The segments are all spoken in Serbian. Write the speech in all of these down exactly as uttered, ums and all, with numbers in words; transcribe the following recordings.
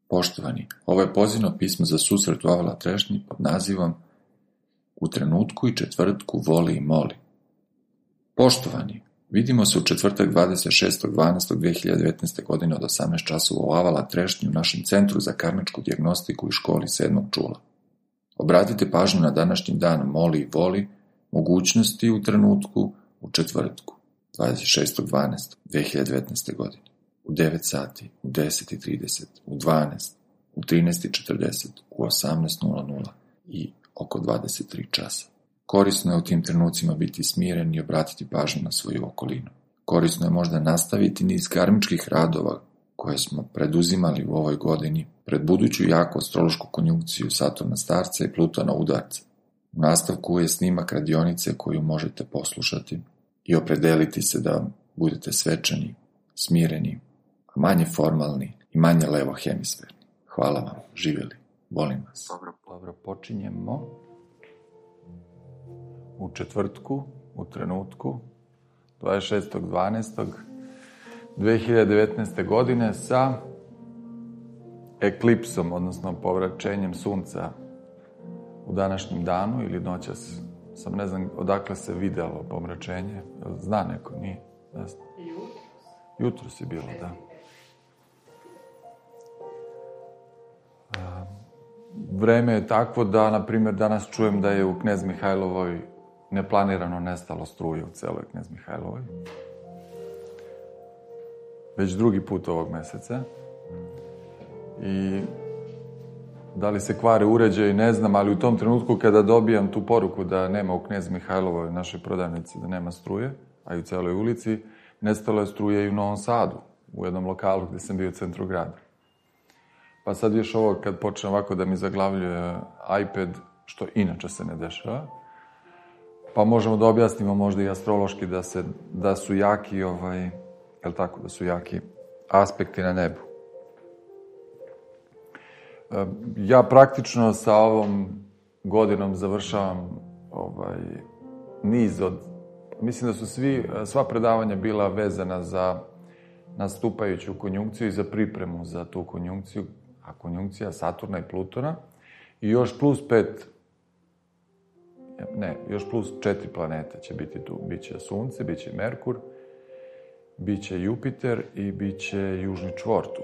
Poštovani, ovo je pozivno pismo za susret u Avala Trešnji pod nazivom U trenutku i četvrtku voli i moli. Poštovani, vidimo se u četvrtak dvadeset šestog dvanaestog dve hiljade devetnaeste. godine od osamnaest časova u Avala Trešnji u našem Centru za karmičku dijagnostiku i školi sedmog čula. Obratite pažnju na današnji dan moli i voli, mogućnosti u trenutku u četvrtku dvadeset šestog dvanaestog dve hiljade devetnaeste. godine. U devet sati, u deset i trideset, u dvanaest, u trinaest i četrdeset, u osamnaest i oko dvadeset tri časa. Korisno je u tim trenucima biti smiren i obratiti pažnju na svoju okolinu. Korisno je možda nastaviti niz karmičkih radova koje smo preduzimali u ovoj godini pred buduću jaku astrološku konjunkciju Saturna Starca i Plutona Udarca. U nastavku je snimak radionice koju možete poslušati i opredeliti se da budete svečani, smireni, a manje formalni i manje levo hemisferni. Hvala vam, živjeli, volim vas. Dobro, dobro, počinjemo u četvrtku, u trenutku, dvadeset šestog dvanaestog dve hiljade devetnaeste. godine sa eklipsom, odnosno povraćenjem sunca u današnjem danu ili noćas. Sam ne znam odakle se videlo pomračenje. Zna neko, nije? Jutros. Jutros je bilo, da. Vreme je takvo da, na primjer, danas čujem da je u Knez Mihajlovoj neplanirano nestalo struje u celoj Knez Mihajlovoj. Već drugi put ovog meseca. I da li se kvare uređaji, ne znam, ali u tom trenutku kada dobijam tu poruku da nema u Knez Mihajlovoj, našoj prodavnici, da nema struje, a i u celoj ulici, nestalo je struje i u Novom Sadu, u jednom lokalu gde sam bio u centru grada. Pa sad još ovo, kad počne ovako da mi zaglavljuje iPad, što inače se ne dešava, pa možemo da objasnimo možda i astrološki da, se, da su jaki, ovaj, je li tako, da su jaki aspekti na nebu. Ja praktično sa ovom godinom završavam ovaj, niz od... Mislim da su svi, sva predavanja bila vezana za nastupajuću konjunkciju i za pripremu za tu konjunkciju, a konjunkcija Saturna i Plutona, i još plus pet, ne, još plus četiri planete će biti tu. Biće Sunce, biće Merkur, biće Jupiter i biće južni čvor tu.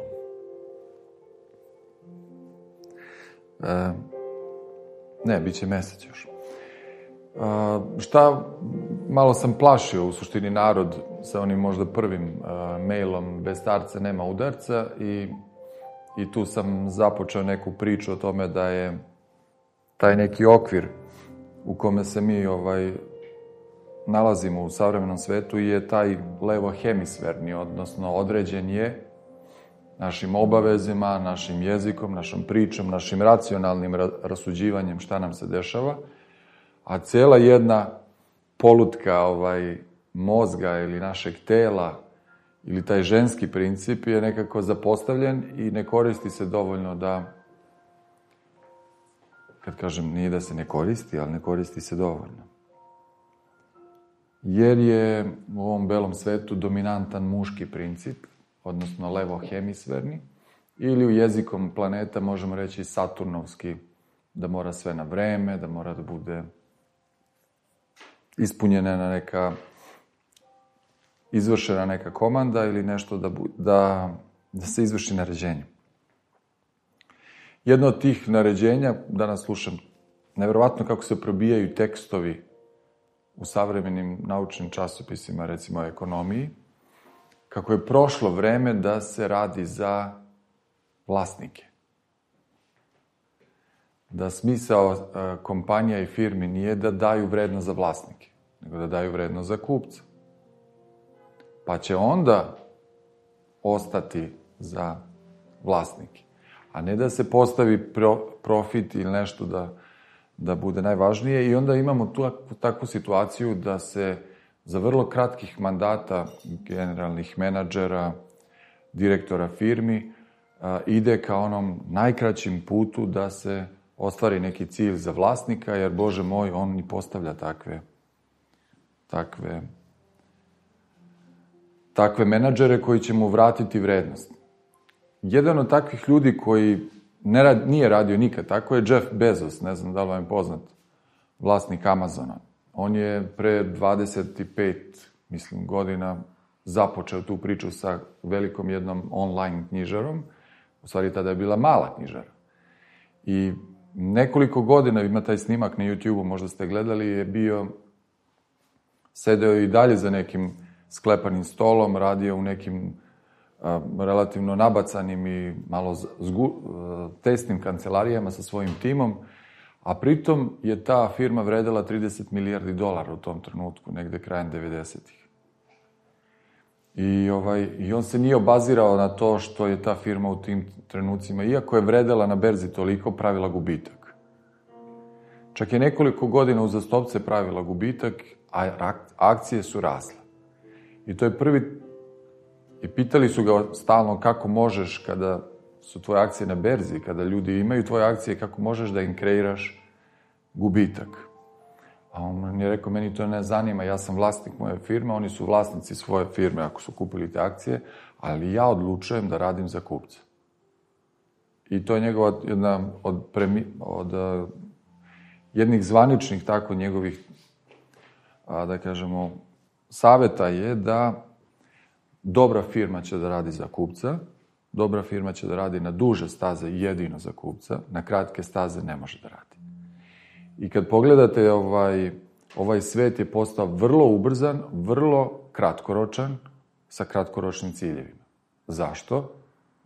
E, ne, biće mesec još. E, šta, malo sam plašio u suštini narod sa onim možda prvim e, mailom bez starca nema udarca i, i tu sam započeo neku priču o tome da je taj neki okvir u kome se mi ovaj, nalazimo u savremenom svetu je taj levo hemisferni, odnosno određen je našim obavezima, našim jezikom, našom pričom, našim racionalnim rasuđivanjem šta nam se dešava, a cela jedna polutka ovaj, mozga ili našeg tela ili taj ženski princip je nekako zapostavljen i ne koristi se dovoljno da, kad kažem nije da se ne koristi, ali ne koristi se dovoljno. Jer je u ovom belom svetu dominantan muški princip, odnosno levo hemisferni, ili u jezikom planeta možemo reći saturnovski, da mora sve na vreme, da mora da bude ispunjena neka, izvršena neka komanda ili nešto da, da, da se izvrši naređenje. Jedno od tih naređenja, danas slušam, nevjerovatno kako se probijaju tekstovi u savremenim naučnim časopisima, recimo o ekonomiji, kako je prošlo vreme da se radi za vlasnike. Da smisao kompanija i firmi nije da daju vrednost za vlasnike, nego da daju vrednost za kupca. Pa će onda ostati za vlasnike. A ne da se postavi pro, profit ili nešto da, da bude najvažnije. I onda imamo tu, takvu situaciju da se za vrlo kratkih mandata generalnih menadžera, direktora firmi, a, ide ka onom najkraćim putu da se ostvari neki cilj za vlasnika, jer, Bože moj, on i postavlja takve, takve, takve menadžere koji će mu vratiti vrednost. jedan od takvih ljudi koji ne rad, nije radio nikad tako je Jeff Bezos, ne znam da li vam je poznat, vlasnik Amazona. On je pre dvadeset pet, mislim, godina započeo tu priču sa velikom jednom online knjižarom. U stvari, tada je bila mala knjižara. I nekoliko godina, ima taj snimak na YouTube-u, možda ste gledali, je bio, sedeo i dalje za nekim sklepanim stolom, radio u nekim a, relativno nabacanim i malo zgu, a, tesnim kancelarijama sa svojim timom, a pritom je ta firma vredela trideset milijardi dolara u tom trenutku, negde krajem devedesetih. I, ovaj, I on se nije obazirao na to što je ta firma u tim trenucima, iako je vredela na berzi toliko, pravila gubitak. Čak je nekoliko godina uzastopce pravila gubitak, a akcije su rasle. I to je prvi... I pitali su ga stalno kako možeš kada su tvoje akcije na berzi, kada ljudi imaju tvoje akcije, kako možeš da im kreiraš gubitak. A on je rekao, meni to ne zanima, ja sam vlasnik moje firme, oni su vlasnici svoje firme ako su kupili te akcije, ali ja odlučujem da radim za kupca. I to je njegova jedna od, premi, od uh, jednih zvaničnih tako njegovih, a, da kažemo, saveta je da dobra firma će da radi za kupca, dobra firma će da radi na duže staze jedino za kupca, na kratke staze ne može da radi. I kad pogledate, ovaj, ovaj svet je postao vrlo ubrzan, vrlo kratkoročan, sa kratkoročnim ciljevima. Zašto?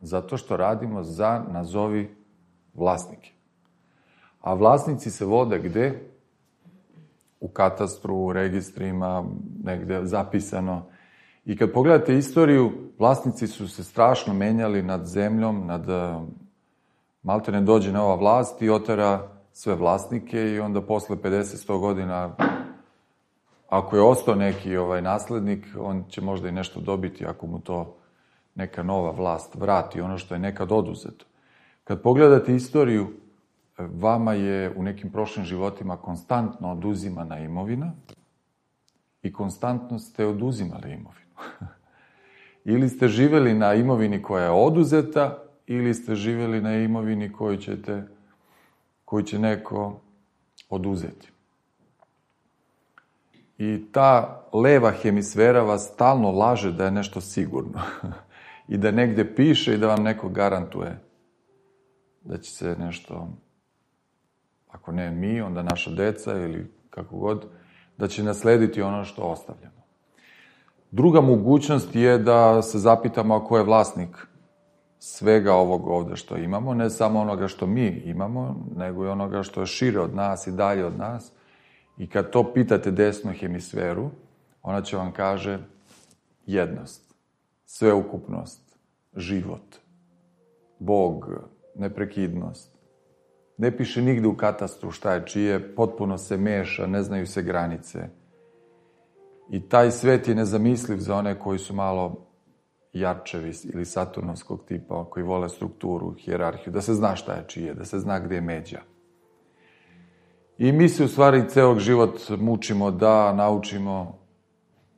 Zato što radimo za, nazovi, vlasnike. A vlasnici se vode gde? U katastru, u registrima, negde zapisano. I kad pogledate istoriju, vlasnici su se strašno menjali nad zemljom, nad... Malte ne dođe nova vlast i otera sve vlasnike i onda posle pedeset do sto godina, ako je ostao neki ovaj naslednik, on će možda i nešto dobiti ako mu to neka nova vlast vrati, ono što je nekad oduzeto. Kad pogledate istoriju, vama je u nekim prošlim životima konstantno oduzimana imovina i konstantno ste oduzimali imovinu. Ili ste živeli na imovini koja je oduzeta, ili ste živeli na imovini koju ćete koju će neko oduzeti. I ta leva hemisfera vas stalno laže da je nešto sigurno. I da negde piše i da vam neko garantuje da će se nešto, ako ne mi, onda naša deca ili kako god, da će naslediti ono što ostavljamo. Druga mogućnost je da se zapitamo ako je vlasnik svega ovog ovde što imamo, ne samo onoga što mi imamo, nego i onoga što je šire od nas i dalje od nas. I kad to pitate desnu hemisferu, ona će vam kaže jednost, sveukupnost, život, Bog, neprekidnost. Ne piše nigde u katastru šta je čije, potpuno se meša, ne znaju se granice. I taj svet je nezamisliv za one koji su malo jarčevi ili saturnovskog tipa, koji vole strukturu, hijerarhiju, da se zna šta je čije, da se zna gde je međa. I mi se u stvari celog život mučimo da naučimo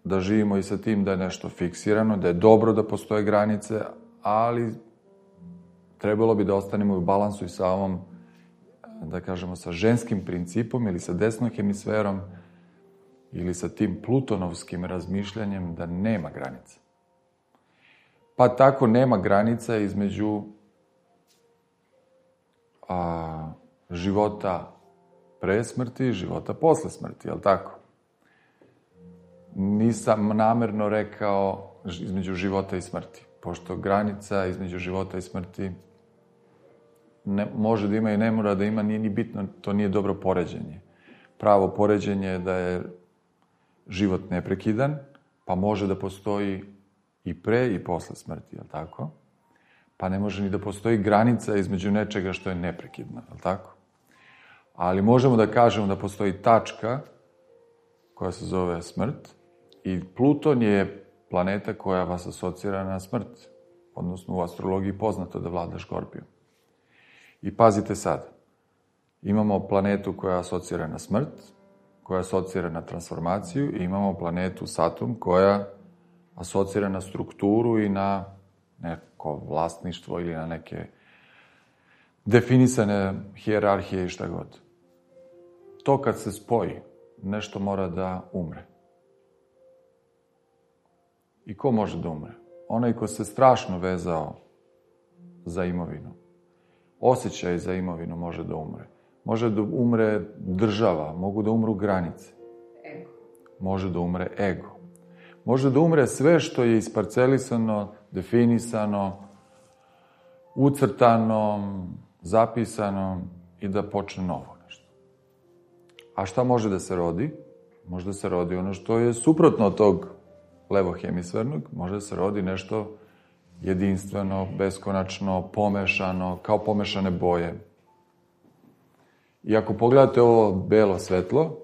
da živimo i sa tim da je nešto fiksirano, da je dobro da postoje granice, ali trebalo bi da ostanemo u balansu i sa ovom, da kažemo, sa ženskim principom ili sa desnom hemisferom ili sa tim plutonovskim razmišljanjem da nema granice. Pa tako nema granica između a, života pre smrti i života posle smrti, je li tako? Nisam namerno rekao između života i smrti, pošto granica između života i smrti ne, može da ima i ne mora da ima, nije ni bitno, to nije dobro poređenje. Pravo poređenje je da je život neprekidan, pa može da postoji i pre i posle smrti, je li tako? Pa ne može ni da postoji granica između nečega što je neprekidno, je li tako? Ali možemo da kažemo da postoji tačka koja se zove smrt i Pluton je planeta koja vas asocira na smrt, odnosno u astrologiji poznato da vlada Škorpijom. I pazite sad, imamo planetu koja asocira na smrt, koja asocira na transformaciju i imamo planetu Saturn koja asocira na strukturu i na neko vlasništvo ili na neke definisane hijerarhije i šta god. To kad se spoji, nešto mora da umre. I ko može da umre? Onaj ko se strašno vezao za imovinu. Osjećaj za imovinu može da umre. Može da umre država, mogu da umru granice. Ego. Može da umre ego. Može da umre sve što je isparcelisano, definisano, ucrtano, zapisano i da počne novo nešto. A šta može da se rodi? Može da se rodi ono što je suprotno od tog levohemisfernog, može da se rodi nešto jedinstveno, beskonačno, pomešano, kao pomešane boje. I ako pogledate ovo belo svetlo,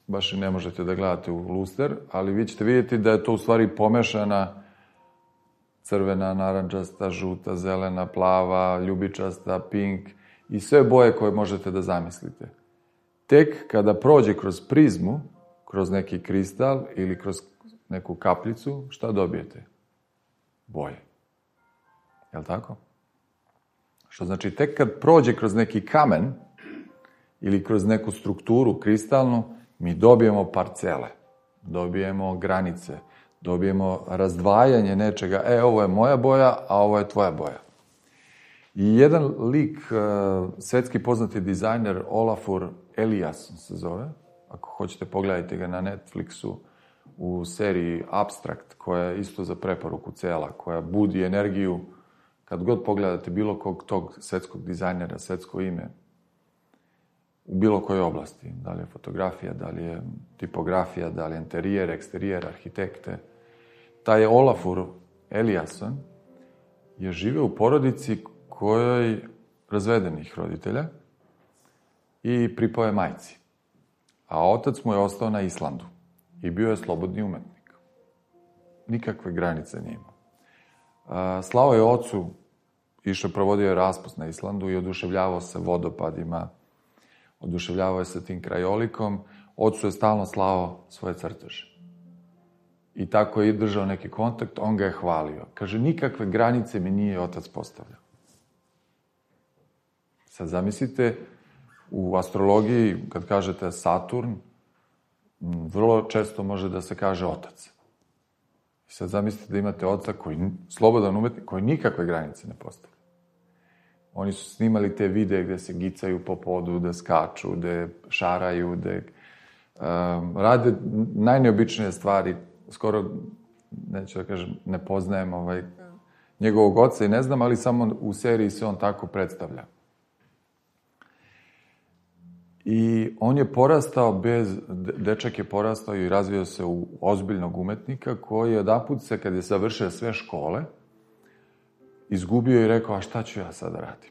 baš i ne možete da gledate u luster, ali vi ćete vidjeti da je to u stvari pomešana crvena, narančasta, žuta, zelena, plava, ljubičasta, pink i sve boje koje možete da zamislite. Tek kada prođe kroz prizmu, kroz neki kristal ili kroz neku kapljicu, šta dobijete? Boje. Je li tako? Što znači, tek kad prođe kroz neki kamen ili kroz neku strukturu kristalnu, mi dobijemo parcele, dobijemo granice, dobijemo razdvajanje nečega. E, ovo je moja boja, a ovo je tvoja boja. I jedan lik, svetski poznati dizajner Olafur Eliasson se zove, ako hoćete pogledajte ga na Netflixu, u seriji Abstract, koja je isto za preporuku cela, koja budi energiju, kad god pogledate bilo kog tog svetskog dizajnera, svetsko ime, u bilo kojoj oblasti, da li je fotografija, da li je tipografija, da li je interijer, eksterijer, arhitekte. Taj Olafur Eliasson je živeo u porodici kojoj razvedenih roditelja i pripao je majci. A otac mu je ostao na Islandu i bio je slobodni umetnik. Nikakve granice nije imao. Slao je ocu, išao provodio je raspust na Islandu i oduševljavao se vodopadima, oduševljavao je se tim krajolikom, ocu je stalno slao svoje crteže. I tako je držao neki kontakt, on ga je hvalio. Kaže, nikakve granice mi nije otac postavljao. Sad zamislite, u astrologiji, kad kažete Saturn, vrlo često može da se kaže otac. I sad zamislite da imate oca koji, slobodan umetnik, koji nikakve granice ne postavlja. Oni su snimali te videe gde se gicaju po podu, da skaču, da šaraju, da um, rade najneobičnije stvari. Skoro, neću da kažem, ne poznajem ovaj, njegovog oca i ne znam, ali samo u seriji se on tako predstavlja. I on je porastao bez, dečak je porastao i razvio se u ozbiljnog umetnika koji odaput se, kad je završio sve škole, izgubio i rekao, a šta ću ja sada radim?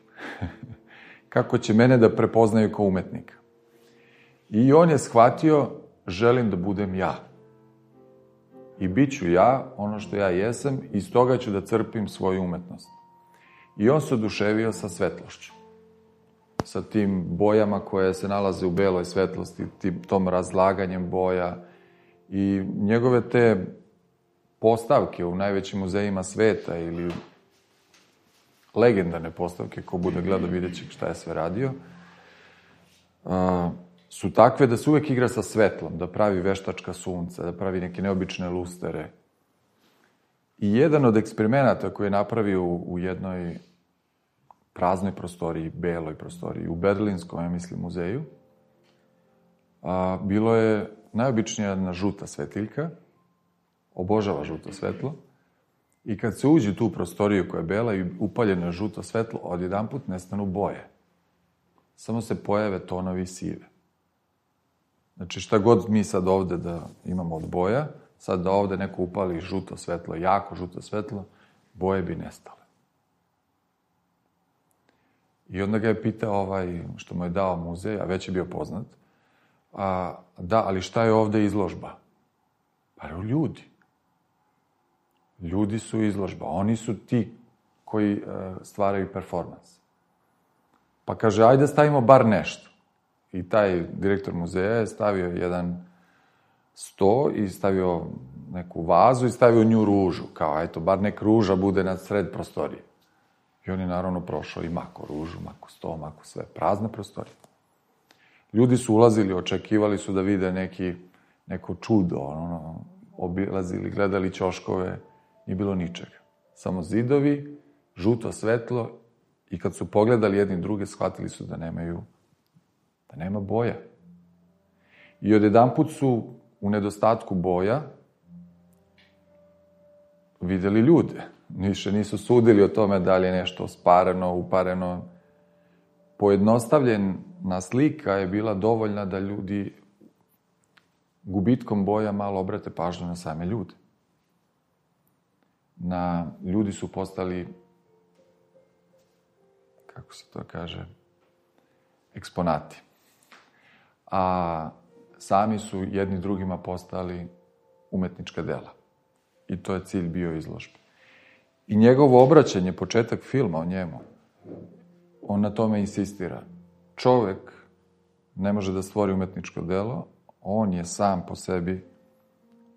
Kako će mene da prepoznaju kao umetnika? I on je shvatio, želim da budem ja. I bit ću ja, ono što ja jesam, i iz toga ću da crpim svoju umetnost. I on se oduševio sa svetlošću. Sa tim bojama koje se nalaze u beloj svetlosti, tim, tom razlaganjem boja. I njegove te postavke u najvećim muzejima sveta ili legendarne postavke, ko bude gledao vidjet će šta je sve radio, a, su takve da se uvek igra sa svetlom, da pravi veštačka sunca, da pravi neke neobične lustere. I jedan od eksperimenata koji je napravio u, u jednoj praznoj prostoriji, beloj prostoriji, u Berlinskom, ja mislim, muzeju, a, bilo je najobičnija jedna žuta svetiljka, obožava žuto svetlo, i kad se uđe u tu prostoriju koja je bela i upaljeno je žuto svetlo, odjedanput nestanu boje. Samo se pojave tonovi sive. Znači, šta god mi sad ovde da imamo od boja, sad da ovde neko upali žuto svetlo, jako žuto svetlo, boje bi nestale. I onda ga je pitao ovaj, što mu je dao muzej, a već je bio poznat, a, da, ali šta je ovde izložba? Pa je ljudi. Ljudi su izložba, oni su ti koji e, stvaraju performans. Pa kaže, ajde stavimo bar nešto. I taj direktor muzeja je stavio jedan sto i stavio neku vazu i stavio nju ružu, kao, eto, bar nek ruža bude na sred prostorije. I on je naravno prošao i mako ružu, mako sto, mako sve, prazna prostorija. Ljudi su ulazili, očekivali su da vide neki, neko čudo, ono, obilazili, gledali ćoškove, nije bilo ničega. Samo zidovi, žuto svetlo i kad su pogledali jedni druge, shvatili su da nemaju, da nema boja. I odjedanput su u nedostatku boja videli ljude. Više nisu sudili o tome da li je nešto spareno, upareno. Pojednostavljena slika je bila dovoljna da ljudi gubitkom boja malo obrate pažnju na same ljude. Na, ljudi su postali, kako se to kaže, eksponati. A sami su jedni drugima postali umetnička dela. I to je cilj bio izložbe. I njegovo obraćanje, početak filma o njemu, on na tome insistira. Čovek ne može da stvori umetničko delo, on je sam po sebi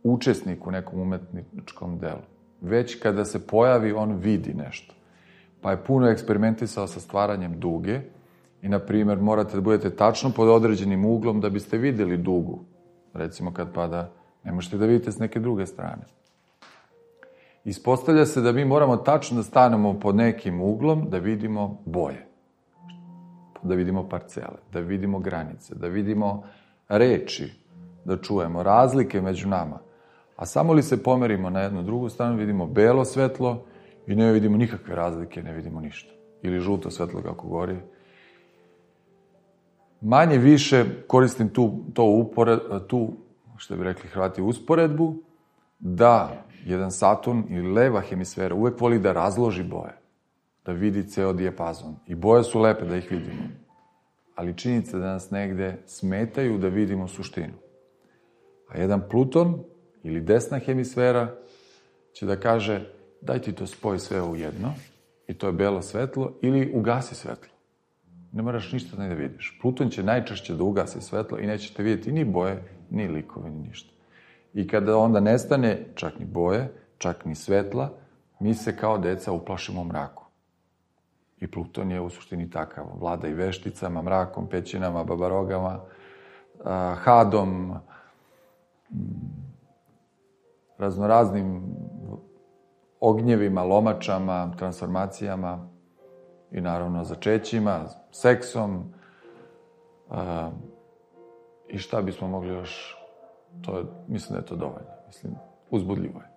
učesnik u nekom umetničkom delu. Već kada se pojavi, on vidi nešto. Pa je puno eksperimentisao sa stvaranjem duge i, na primjer, morate da budete tačno pod određenim uglom da biste videli dugu. Recimo, kad pada, ne možete da vidite s neke druge strane. Ispostavlja se da mi moramo tačno da stanemo pod nekim uglom da vidimo boje, da vidimo parcele, da vidimo granice, da vidimo reči, da čujemo razlike među nama. A samo li se pomerimo na jednu drugu stranu, vidimo belo svetlo i ne vidimo nikakve razlike, ne vidimo ništa. Ili žuto svetlo kako gori. Manje više koristim tu, to upored, tu, što bi rekli Hrvati, usporedbu, da jedan Saturn ili leva hemisfera uvek voli da razloži boje, da vidi ceo dijapazon. I boje su lepe da ih vidimo. Ali činjenica da nas negde smetaju da vidimo suštinu. A jedan Pluton ili desna hemisfera će da kaže daj ti to spoj sve u jedno i to je belo svetlo ili ugasi svetlo. Ne moraš ništa ne da vidiš. Pluton će najčešće da ugasi svetlo i nećete vidjeti ni boje, ni likove, ni ništa. I kada onda nestane čak ni boje, čak ni svetla, mi se kao deca uplašimo u mraku. I Pluton je u suštini takav. Vlada i vešticama, mrakom, pećinama, babarogama, hadom, raznoraznim ognjevima, lomačama, transformacijama i naravno začećima, seksom. I šta bismo mogli još... To je, mislim da je to dovoljno. Mislim, uzbudljivo je.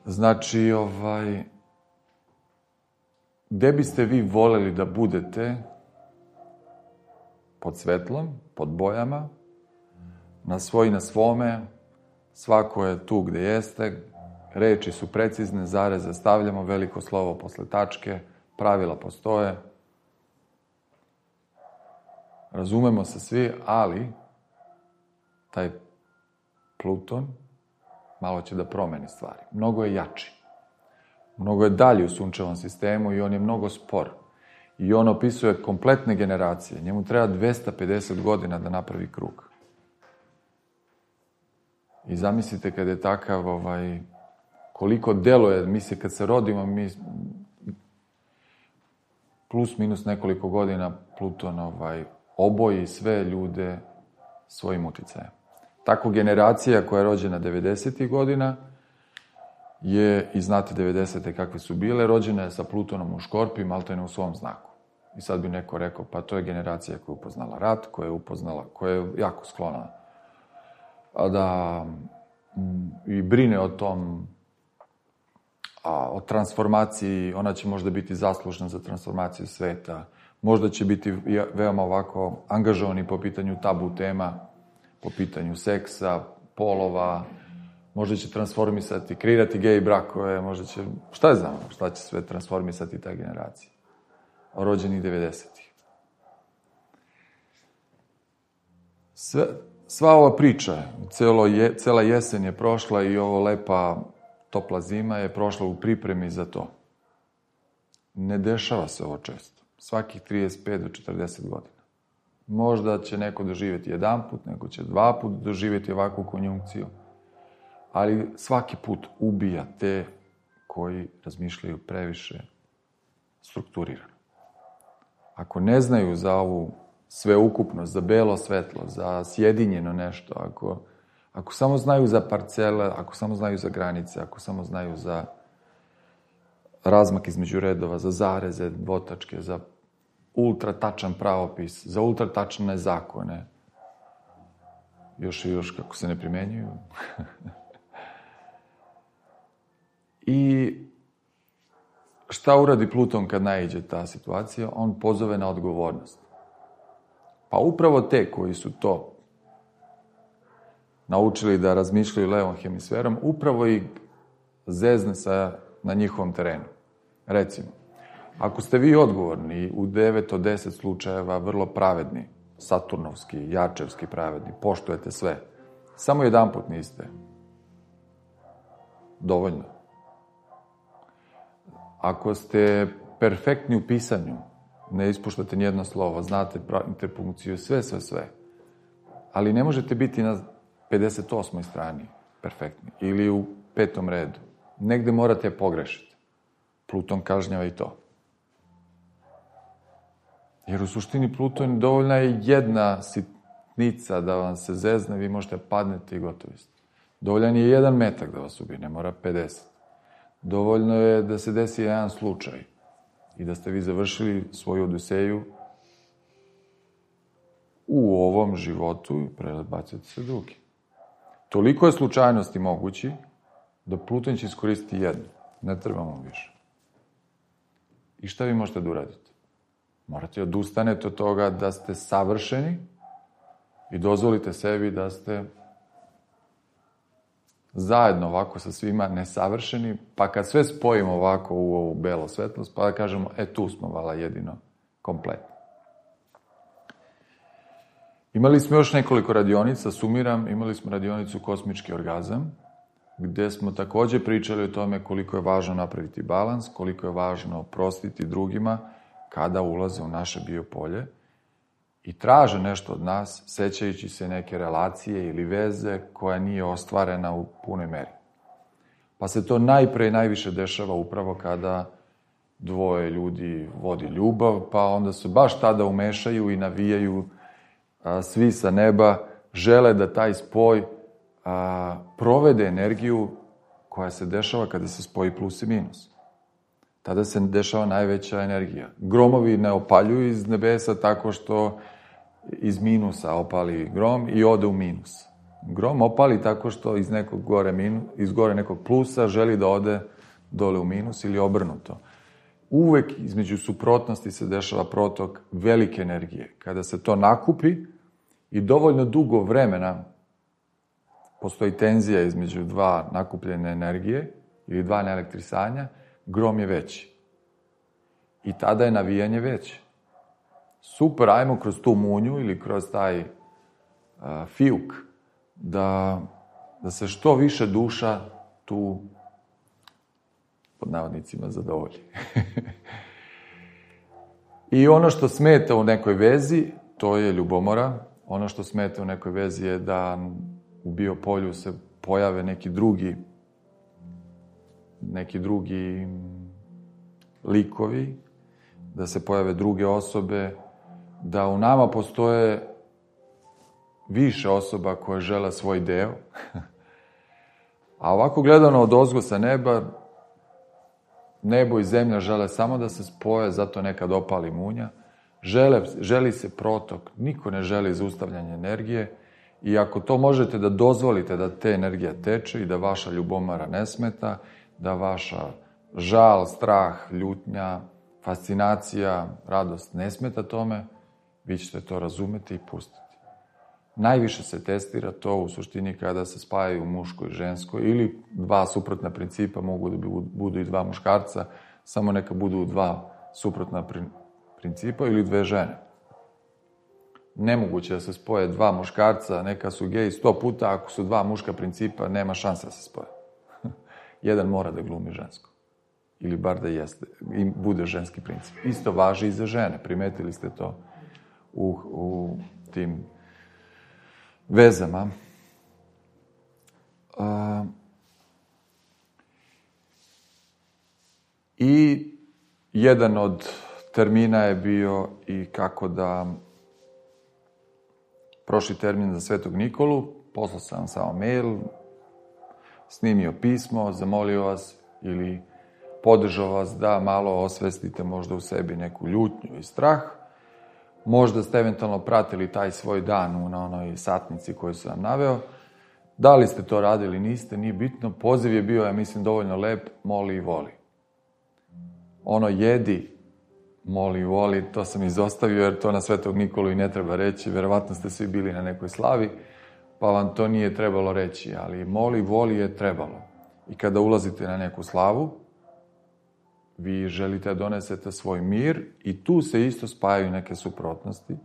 Znači, ovaj... Gde biste vi voleli da budete pod svetlom, pod bojama, na svoj, na svome, svako je tu gde jeste, reči su precizne, zareze stavljamo, veliko slovo posle tačke, pravila postoje, razumemo se svi, ali taj Pluton malo će da promeni stvari. Mnogo je jači. Mnogo je dalji u sunčevom sistemu i on je mnogo spor. I on opisuje kompletne generacije. Njemu treba dvesta pedeset godina da napravi krug. I zamislite kad je takav, ovaj, koliko deluje, mi se kad se rodimo, mi plus minus nekoliko godina Pluton ovaj, oboji sve ljude svojim uticajem. Tako generacija koja je rođena devedesetih godina je, i znate devedesete kakve su bile, rođena je sa Plutonom u Škorpiju, maltene u svom znaku. I sad bi neko rekao, pa to je generacija koja je upoznala rat, koja je upoznala, koja je jako sklona da m, i brine o tom, a, o transformaciji, ona će možda biti zaslužna za transformaciju sveta, možda će biti veoma ovako angažovani po pitanju tabu tema, po pitanju seksa, polova, možda će transformisati, kreirati gej brakove, možda će, šta je znamo, šta će sve transformisati ta generacija. Rođenih devedesetih. Sve, sva ova priča, celo je, cela jesen je prošla i ovo lepa, topla zima je prošla u pripremi za to. Ne dešava se ovo često. Svakih trideset pet do četrdeset godina. Možda će neko doživjeti jedan put, neko će dva put doživjeti ovakvu konjunkciju, ali svaki put ubija te koji razmišljaju previše strukturirano. Ako ne znaju za ovu sveukupnost, za belo svetlo, za sjedinjeno nešto, ako, ako samo znaju za parcele, ako samo znaju za granice, ako samo znaju za razmak između redova, za zareze, dvotačke, za ultra tačan pravopis, za ultra tačne zakone, još i još kako se ne primenjuju. I šta uradi Pluton kad naiđe ta situacija? On pozove na odgovornost. Pa upravo te koji su to naučili da razmišljaju levom hemisferom, upravo ih zezne sa, na njihovom terenu. Recimo, ako ste vi odgovorni u devet od deset slučajeva vrlo pravedni, saturnovski, jačevski pravedni, poštujete sve, samo jedan put niste. Dovoljno. Ako ste perfektni u pisanju, ne ispuštate nijedno slovo, znate interpunkciju, sve, sve, sve, ali ne možete biti na pedeset osmoj strani perfektni ili u petom redu. Negde morate pogrešiti. Pluton kažnjava i to. Jer u suštini Pluton dovoljna je jedna sitnica da vam se zezne, vi možete padnete i gotovi ste. Dovoljan je jedan metak da vas ubije, ne mora pedeset. Dovoljno je da se desi jedan slučaj i da ste vi završili svoju odiseju u ovom životu i prebacite se drugi. Toliko je slučajnosti mogući da Pluton će iskoristiti jednu. Ne trebamo više. I šta vi možete da uradite? Morate odustanete od toga da ste savršeni i dozvolite sebi da ste zajedno ovako sa svima nesavršeni, pa kad sve spojimo ovako u ovu belo svetlost, pa da kažemo, e tu smo vala jedino kompletni. Imali smo još nekoliko radionica, sumiram, imali smo radionicu Kosmički orgazam, gde smo takođe pričali o tome koliko je važno napraviti balans, koliko je važno oprostiti drugima kada ulaze u naše biopolje i traže nešto od nas, sećajući se neke relacije ili veze koja nije ostvarena u punoj meri. Pa se to najpre i najviše dešava upravo kada dvoje ljudi vodi ljubav, pa onda se baš tada umešaju i navijaju a, svi sa neba, žele da taj spoj a, provede energiju koja se dešava kada se spoji plus i minus. Tada se dešava najveća energija. Gromovi ne opaljuju iz nebesa tako što iz minusa opali grom i ode u minus. Grom opali tako što iz nekog gore, minu, iz gore nekog plusa želi da ode dole u minus ili obrnuto. Uvek između suprotnosti se dešava protok velike energije. Kada se to nakupi i dovoljno dugo vremena postoji tenzija između dva nakupljene energije ili dva neelektrisanja, grom je veći. I tada je navijanje veće. Super, ajmo kroz tu munju ili kroz taj uh, fijuk da, da se što više duša tu pod navodnicima zadovolji. I ono što smeta u nekoj vezi, to je ljubomora. Ono što smeta u nekoj vezi je da u biopolju se pojave neki drugi neki drugi likovi, da se pojave druge osobe, da u nama postoje više osoba koje žele svoj deo. A ovako gledano od ozgo sa neba, nebo i zemlja žele samo da se spoje, zato nekad opali munja. Žele, želi se protok, niko ne želi zaustavljanje energije i ako to možete da dozvolite da te energija teče i da vaša ljubomara ne smeta, da vaša žal, strah, ljutnja, fascinacija, radost ne smeta tome, vi ćete to razumeti i pustiti. Najviše se testira to u suštini kada se spajaju muško i žensko ili dva suprotna principa, mogu da budu i dva muškarca, samo neka budu dva suprotna principa ili dve žene. Nemoguće da se spoje dva muškarca, neka su geji sto puta, ako su dva muška principa, nema šanse da se spoje. Jedan mora da glumi žensko. Ili bar da jeste, i bude ženski princip. Isto važi i za žene, primetili ste to. u, u tim vezama. Uh, I jedan od termina je bio i kako da prošli termin za Svetog Nikolu, poslao sam vam samo mail, snimio pismo, zamolio vas ili podržao vas da malo osvestite možda u sebi neku ljutnju i strah. Možda ste eventualno pratili taj svoj dan na onoj satnici koju sam vam naveo. Da li ste to radili, niste, nije bitno. Poziv je bio, ja mislim, dovoljno lep, moli i voli. Ono jedi, moli i voli, to sam izostavio jer to na Svetog Nikolu i ne treba reći. Verovatno ste svi bili na nekoj slavi, pa vam to nije trebalo reći, ali moli i voli je trebalo. I kada ulazite na neku slavu, vi želite da donesete svoj mir i tu se isto spajaju neke suprotnosti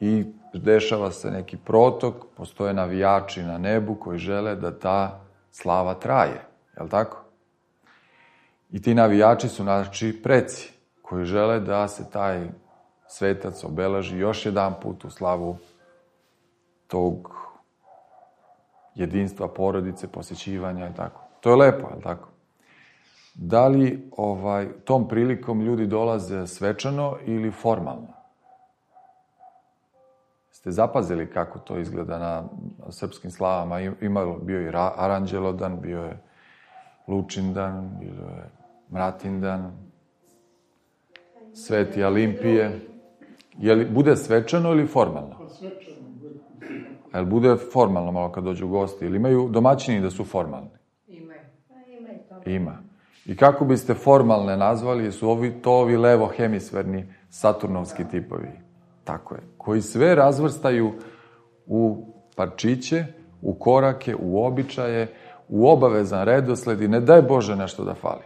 i dešava se neki protok, postoje navijači na nebu koji žele da ta slava traje, je li tako? I ti navijači su naši preci koji žele da se taj svetac obeleži još jedan put u slavu tog jedinstva porodice, posjećivanja i tako. To je lepo, je li tako? Da li ovaj, tom prilikom ljudi dolaze svečano ili formalno? Ste zapazili kako to izgleda na srpskim slavama? Ima, bio je Aranđelodan, bio je Lučindan, bio je Mratindan, Sveti Alimpije. Je li bude svečano ili formalno? Je li bude formalno malo kad dođu gosti? Ili imaju domaćini da su formalni? Imaju. Ima. I kako biste formalne nazvali, su ovi, to ovi levo-hemisferni saturnovski tipovi. Tako je. Koji sve razvrstaju u parčiće, u korake, u običaje, u obavezan redosled i ne daj Bože nešto da fali.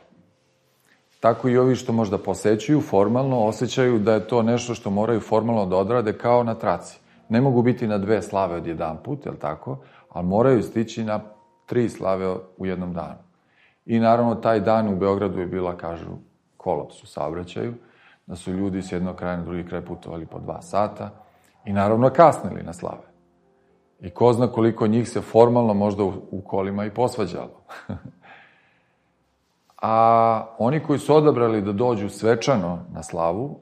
Tako i ovi što možda posećuju formalno, osjećaju da je to nešto što moraju formalno da odrade kao na traci. Ne mogu biti na dve slave od jedan put, je li tako? Ali moraju stići na tri slave u jednom danu. I naravno, taj dan u Beogradu je bila, kažu, kolaps u saobraćaju, da su ljudi s jednog kraja na drugi kraj putovali po dva sata i naravno kasnili na slave. I ko zna koliko njih se formalno možda u, u kolima i posvađalo. A oni koji su odabrali da dođu svečano na slavu,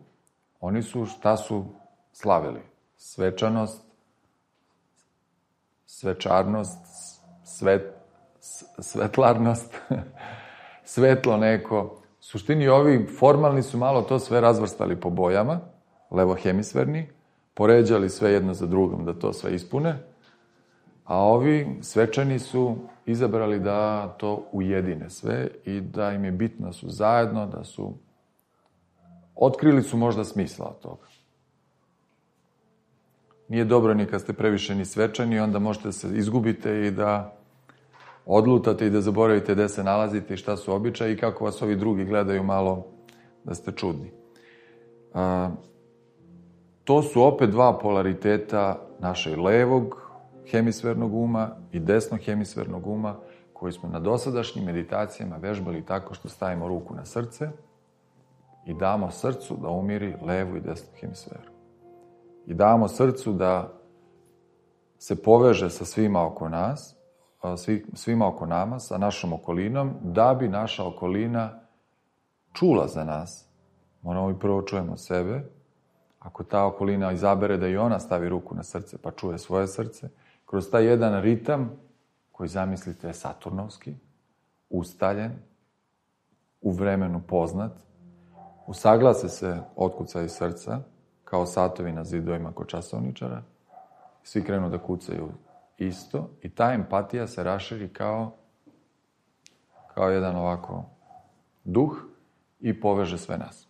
oni su, šta su slavili? Svečanost, svečarnost, svet, svetlarnost, svetlo neko. U suštini ovi formalni su malo to sve razvrstali po bojama, levohemisferni, poređali sve jedno za drugom da to sve ispune, a ovi svečani su izabrali da to ujedine sve i da im je bitno da su zajedno, da su... Otkrili su možda smisla od toga. Nije dobro ni kad ste previše ni svečani, onda možete da se izgubite i da odlutate i da zaboravite gde se nalazite i šta su običaji i kako vas ovi drugi gledaju malo da ste čudni. A, to su opet dva polariteta našeg levog hemisfernog uma i desnog hemisfernog uma koji smo na dosadašnjim meditacijama vežbali tako što stavimo ruku na srce i damo srcu da umiri levu i desnu hemisferu. I damo srcu da se poveže sa svima oko nas, svi, svima oko nama, sa našom okolinom, da bi naša okolina čula za nas. Moramo i prvo čujemo sebe. Ako ta okolina izabere da i ona stavi ruku na srce pa čuje svoje srce, kroz taj jedan ritam koji zamislite je saturnovski, ustaljen, u vremenu poznat, usaglase se otkucaj srca, kao satovi na zidovima kod časovničara, svi krenu da kucaju isto i ta empatija se raširi kao, kao jedan ovako duh i poveže sve nas.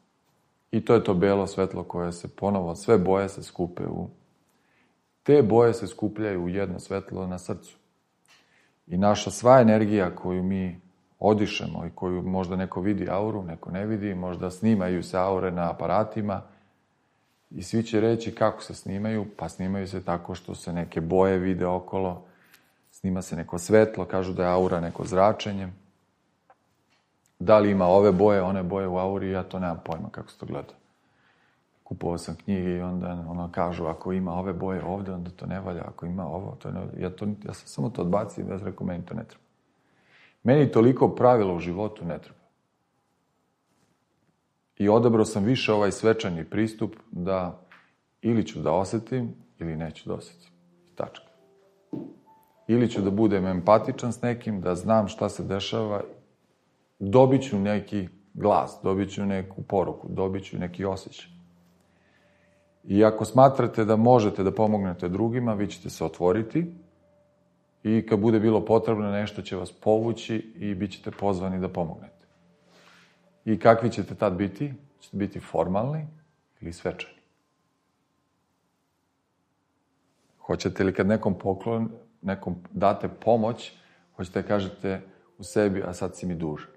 I to je to belo svetlo koje se ponovo, sve boje se skupe u... Te boje se skupljaju u jedno svetlo na srcu. I naša sva energija koju mi odišemo i koju možda neko vidi auru, neko ne vidi, možda snimaju se aure na aparatima i svi će reći kako se snimaju, pa snimaju se tako što se neke boje vide okolo, snima se neko svetlo, kažu da je aura neko zračenje. Da li ima ove boje, one boje u auri, ja to nemam pojma kako se to gleda. kupovao sam knjige i onda ono kažu, ako ima ove boje ovde, onda to ne valja, ako ima ovo, to ne valja. Ja, to, ja sam samo to odbacio i ja sam rekao, meni to ne treba. Meni toliko pravila u životu ne treba. I odabrao sam više ovaj svečani pristup da ili ću da osetim, ili neću da osetim. Tačka. Ili ću da budem empatičan s nekim, da znam šta se dešava, dobit ću neki glas, dobit ću neku poruku, dobit ću neki osjećaj. I ako smatrate da možete da pomognete drugima, vi ćete se otvoriti i kad bude bilo potrebno, nešto će vas povući i bit ćete pozvani da pomognete. I kakvi ćete tad biti? Ćete biti formalni ili svečani? Hoćete li kad nekom poklon, nekom date pomoć, hoćete da kažete u sebi, a sad si mi dužan?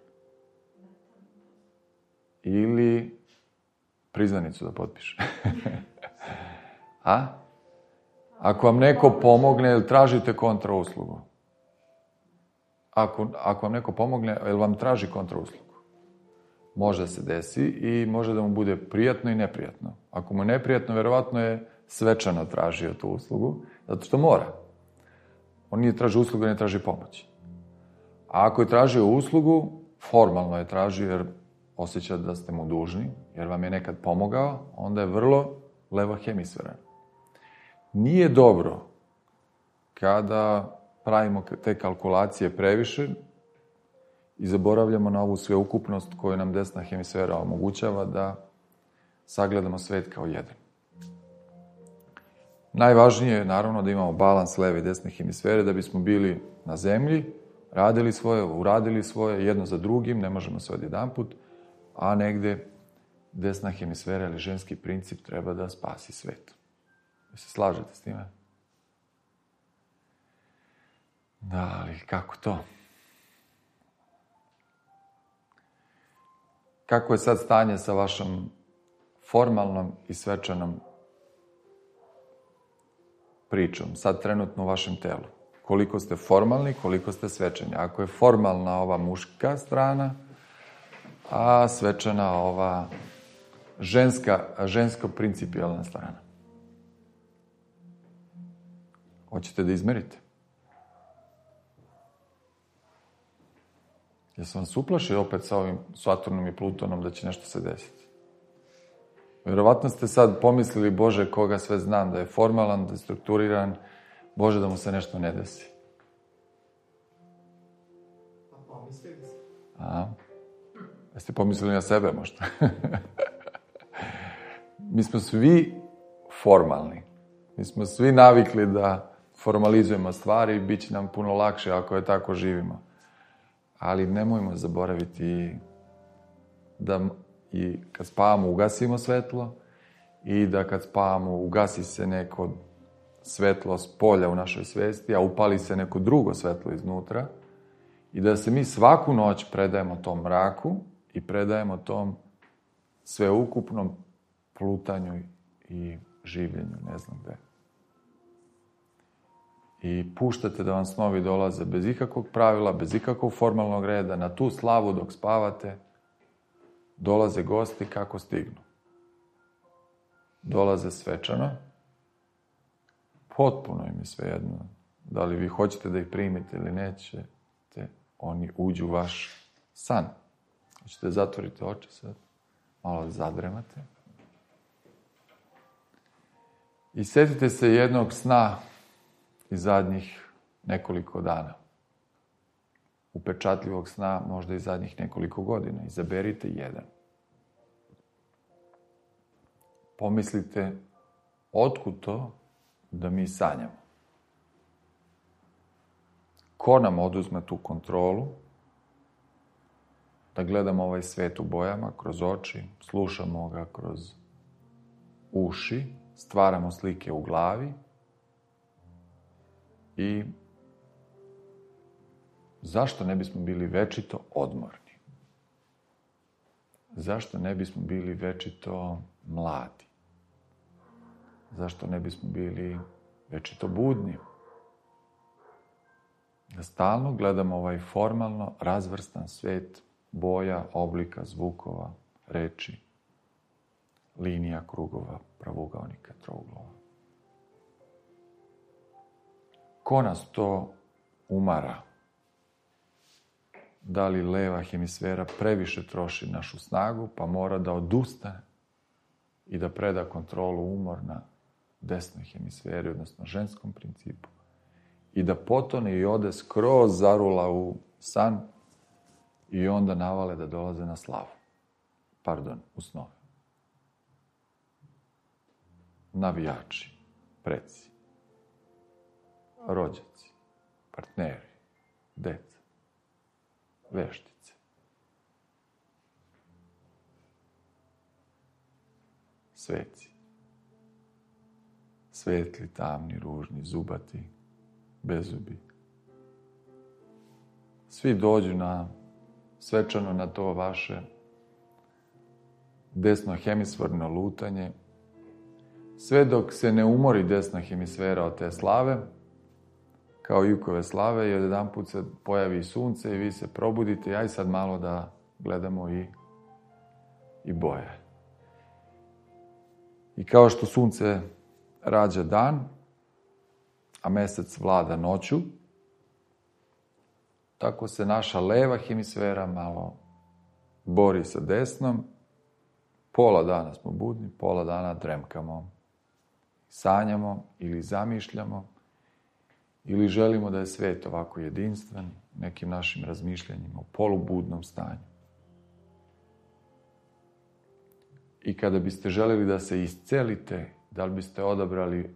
Ili priznanicu da potpiše? A? Ako vam neko pomogne, jel tražite kontrauslugu? Ako, ako vam neko pomogne, jel vam traži kontrauslugu? Može se desi i može da mu bude prijatno i neprijatno. Ako mu je neprijatno, verovatno je svečano tražio tu uslugu, zato što mora. On nije tražio uslugu, ne traži pomoć. A ako je tražio uslugu, formalno je tražio jer osjeća da ste mu dužni, jer vam je nekad pomogao, onda je vrlo levohemisferan. Nije dobro kada pravimo te kalkulacije previše i zaboravljamo na ovu sveukupnost koju nam desna hemisfera omogućava da sagledamo svet kao jedan. Najvažnije je naravno da imamo balans leve i desne hemisfere da bismo bili na zemlji, radili svoje, uradili svoje, jedno za drugim, ne možemo sve odjedanput, a negde desna hemisfera ili ženski princip treba da spasi svet. Vi se slažete s time? Da, ali kako to? Kako je sad stanje sa vašom formalnom i svečanom pričom, sad trenutno u vašem telu? Koliko ste formalni, koliko ste svečani? Ako je formalna ova muška strana, a svečana ova ženska, žensko-principijalna strana. Hoćete da izmerite? Jesam vas uplašio opet sa ovim Saturnom i Plutonom da će nešto se desiti? Vjerovatno ste sad pomislili, Bože, koga sve znam, da je formalan, da je strukturiran, Bože, da mu se nešto ne desi. A pomislili ste? A, jeste pomislili na sebe možda? Mi smo svi formalni. Mi smo svi navikli da formalizujemo stvari i bit će nam puno lakše ako je tako živimo. Ali nemojmo zaboraviti da i kad spavamo ugasimo svetlo i da kad spavamo ugasi se neko svetlo s polja u našoj svesti, a upali se neko drugo svetlo iznutra i da se mi svaku noć predajemo tom mraku i predajemo tom sveukupnom plutanju i življenju, ne znam gde. I puštate da vam snovi dolaze bez ikakvog pravila, bez ikakvog formalnog reda, na tu slavu dok spavate, dolaze gosti kako stignu. Dolaze svečano, potpuno im je svejedno. Da li vi hoćete da ih primite ili nećete, oni uđu u vaš san. Hoćete da zatvorite oči sad, malo da zadremate. I setite se jednog sna iz zadnjih nekoliko dana. Upečatljivog sna, možda i zadnjih nekoliko godina. Izaberite jedan. Pomislite, otkud to da mi sanjamo? Ko nam oduzme tu kontrolu? Da gledamo ovaj svet u bojama, kroz oči, slušamo ga kroz uši, stvaramo slike u glavi i zašto ne bismo bili večito odmorni? Zašto ne bismo bili večito mladi? Zašto ne bismo bili večito budni? Da stalno gledamo ovaj formalno razvrstan svet boja, oblika, zvukova, reči. linija, krugova, pravougaonika, trouglova. Ko nas to umara? Da li leva hemisfera previše troši našu snagu, pa mora da odustane i da preda kontrolu umor na desnoj hemisferi, odnosno ženskom principu, i da potone i ode skroz zarula u san i onda navale da dolaze na slavu. Pardon, u snove. Navijači, preci, rođaci, partneri, deca, veštice. Sveci. Svetli, tamni, ružni, zubati, bezubi. Svi dođu na svečano na to vaše desno hemisferno lutanje, sve dok se ne umori desna hemisfera od te slave, kao jukove slave, i odjedanput se pojavi sunce i vi se probudite i aj sad malo da gledamo i, i boje. I kao što sunce rađa dan, a mesec vlada noću, tako se naša leva hemisfera malo bori sa desnom. Pola dana smo budni, pola dana dremkamo, sanjamo ili zamišljamo, ili želimo da je svet ovako jedinstven nekim našim razmišljanjima u polubudnom stanju. I kada biste želeli da se iscelite, da li biste odabrali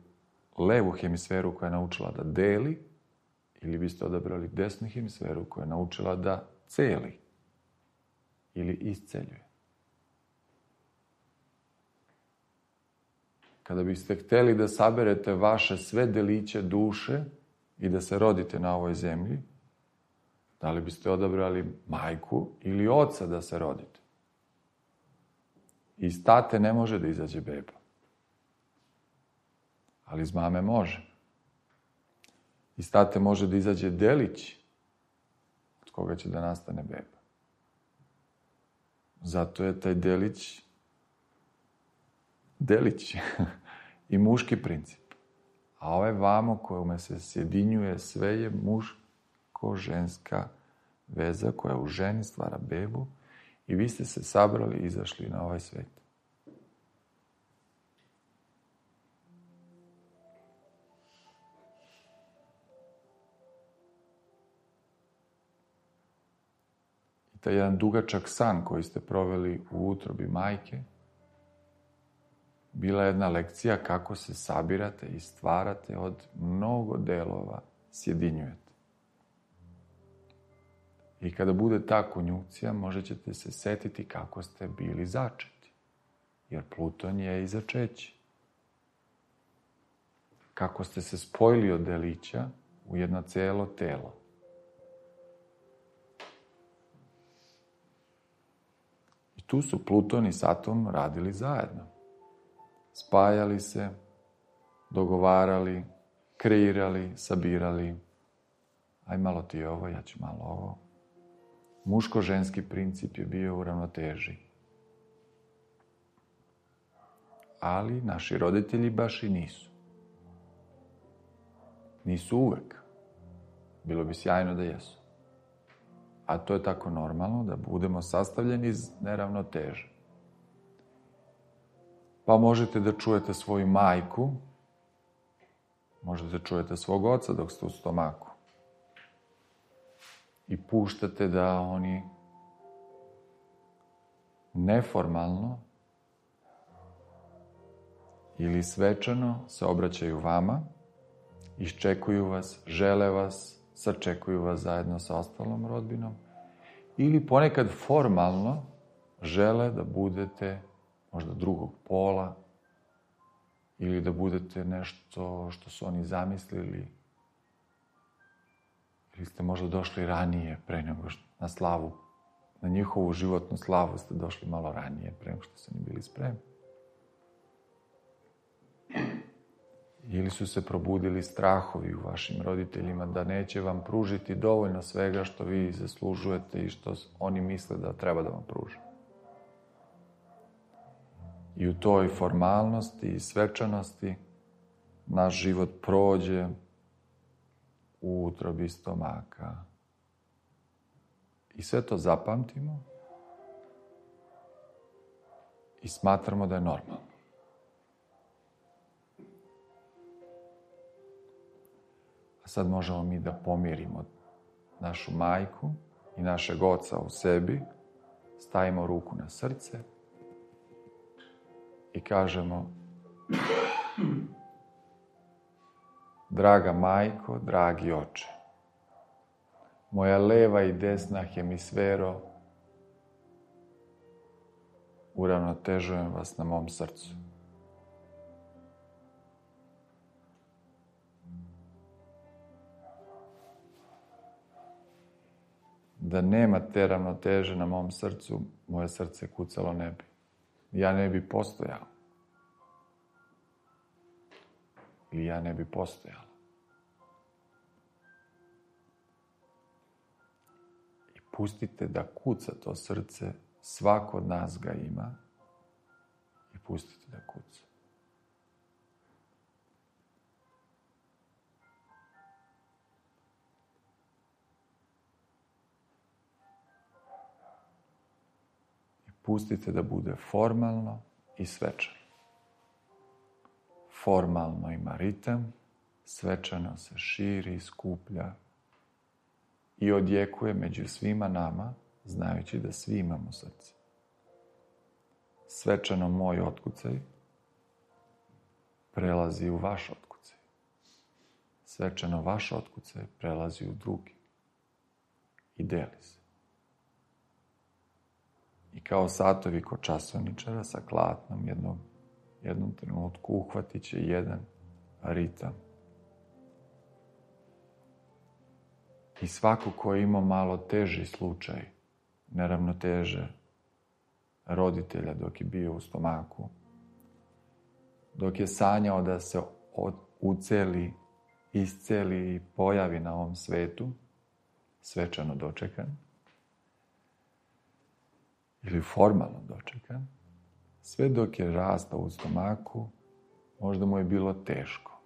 levu hemisferu koja je naučila da deli, ili biste odabrali desnu hemisferu koja je naučila da celi ili isceljuje. Kada biste hteli da saberete vaše sve deliće duše i da se rodite na ovoj zemlji, da li biste odabrali majku ili oca da se rodite? Iz tate ne može da izađe beba, ali iz mame može. Iz tate može da izađe delić od koga će da nastane beba. Zato je taj delić delić i muški princip. A ovaj vamo kojome se sjedinjuje sve je muško-ženska veza koja u ženi stvara bebu i vi ste se sabrali i izašli na ovaj svet. I taj jedan dugačak san koji ste proveli u utrobi majke bila je jedna lekcija kako se sabirate i stvarate od mnogo delova, sjedinjujete. I kada bude ta konjunkcija, možda ćete se setiti kako ste bili začeti. Jer Pluton je i začeće. Kako ste se spojili od delića u jedno celo telo. I tu su Pluton i Saturn radili zajedno. Spajali se, dogovarali, kreirali, sabirali. Aj malo ti ovo, ja ću malo ovo. Muško-ženski princip je bio u ravnoteži. Ali naši roditelji baš i nisu. Nisu uvek. Bilo bi sjajno da jesu. A to je tako normalno da budemo sastavljeni iz neravnoteže. Pa možete da čujete svoju majku, možete da čujete svog oca dok ste u stomaku. I puštate da oni neformalno ili svečano se obraćaju vama, iščekuju vas, žele vas, sačekuju vas zajedno sa ostalom rodbinom, ili ponekad formalno žele da budete možda drugog pola, ili da budete nešto što su oni zamislili, ili ste možda došli ranije, pre nego što na slavu, na njihovu životnu slavu ste došli malo ranije, pre nego što su oni bili spremni. Ili su se probudili strahovi u vašim roditeljima da neće vam pružiti dovoljno svega što vi zaslužujete i što oni misle da treba da vam pruže. I u toj formalnosti i svečanosti naš život prođe u utrobi stomaka. I sve to zapamtimo i smatramo da je normalno. A sad možemo mi da pomirimo našu majku i našeg oca u sebi, stavimo ruku na srce i kažemo: draga majko, dragi oče, moja leva i desna hemisfero, uravnotežujem vas na mom srcu. Da nema te ravnoteže na mom srcu, moje srce kucalo ne bi. Ja ne bi postojao. Ili ja ne bi postojala. I pustite da kuca to srce, svako od nas ga ima, i pustite da kuca. Pustite da bude formalno i svečano. Formalno ima ritam, svečano se širi i skuplja i odjekuje među svima nama, znajući da svi imamo srce. Svečano moj otkucaj prelazi u vaš otkucaj. Svečano vaš otkucaj prelazi u drugi i deli se. I kao satovi kod časovničara sa klatnom jednom, jednom trenutku uhvatit će jedan ritam. I svako ko je imao malo teži slučaj neravnoteže roditelja dok je bio u stomaku, dok je sanjao da se uceli, isceli i pojavi na ovom svetu, svečano dočekan, ili formalno dočekan, sve dok je rastao u stomaku, možda mu je bilo teško.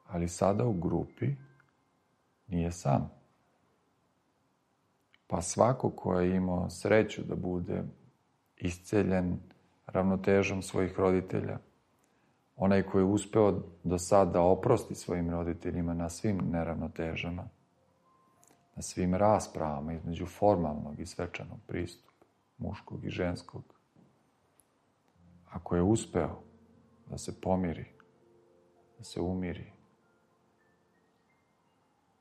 Ali sada u grupi nije sam. Pa svako ko je imao sreću da bude isceljen ravnotežom svojih roditelja, onaj koji je uspeo do sada da oprosti svojim roditeljima na svim neravnotežama, na svim raspravama između formalnog i svečanog pristupa, muškog i ženskog. Ako je uspeo da se pomiri, da se umiri,